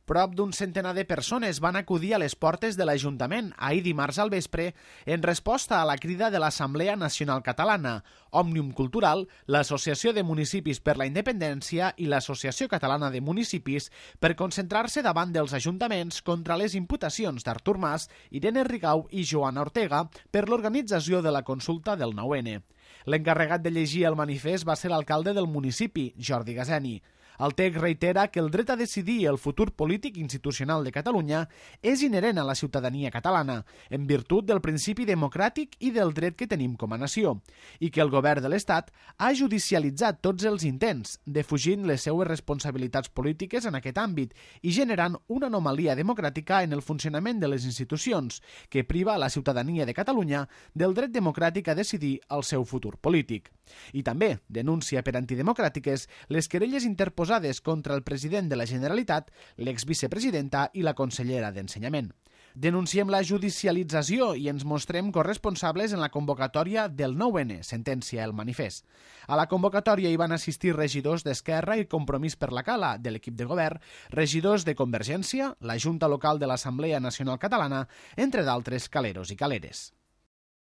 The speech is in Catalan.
Prop d'un centenar de persones van acudir a les portes de l'Ajuntament ahir dimarts al vespre en resposta a la crida de l'Assemblea Nacional Catalana, Òmnium Cultural, l'Associació de Municipis per la Independència i l'Associació Catalana de Municipis per concentrar-se davant dels ajuntaments contra les imputacions d'Artur Mas, Irene Rigau i Joana Ortega per l'organització de la consulta del 9N. L'encarregat de llegir el manifest va ser l'alcalde del municipi, Jordi Gazeni. El text reitera que el dret a decidir el futur polític institucional de Catalunya és inherent a la ciutadania catalana, en virtut del principi democràtic i del dret que tenim com a nació, i que el govern de l'Estat ha judicialitzat tots els intents, defugint les seues responsabilitats polítiques en aquest àmbit i generant una anomalia democràtica en el funcionament de les institucions, que priva a la ciutadania de Catalunya del dret democràtic a decidir el seu futur polític. I també denuncia per antidemocràtiques les querelles interposades contra el president de la Generalitat, l'exvicepresidenta i la consellera d'Ensenyament. Denunciem la judicialització i ens mostrem corresponsables en la convocatòria del 9N, sentencia el manifest. A la convocatòria hi van assistir regidors d'Esquerra i Compromís per la Cala, de l'equip de govern, regidors de Convergència, la Junta Local de l'Assemblea Nacional Catalana, entre d'altres caleros i caleres.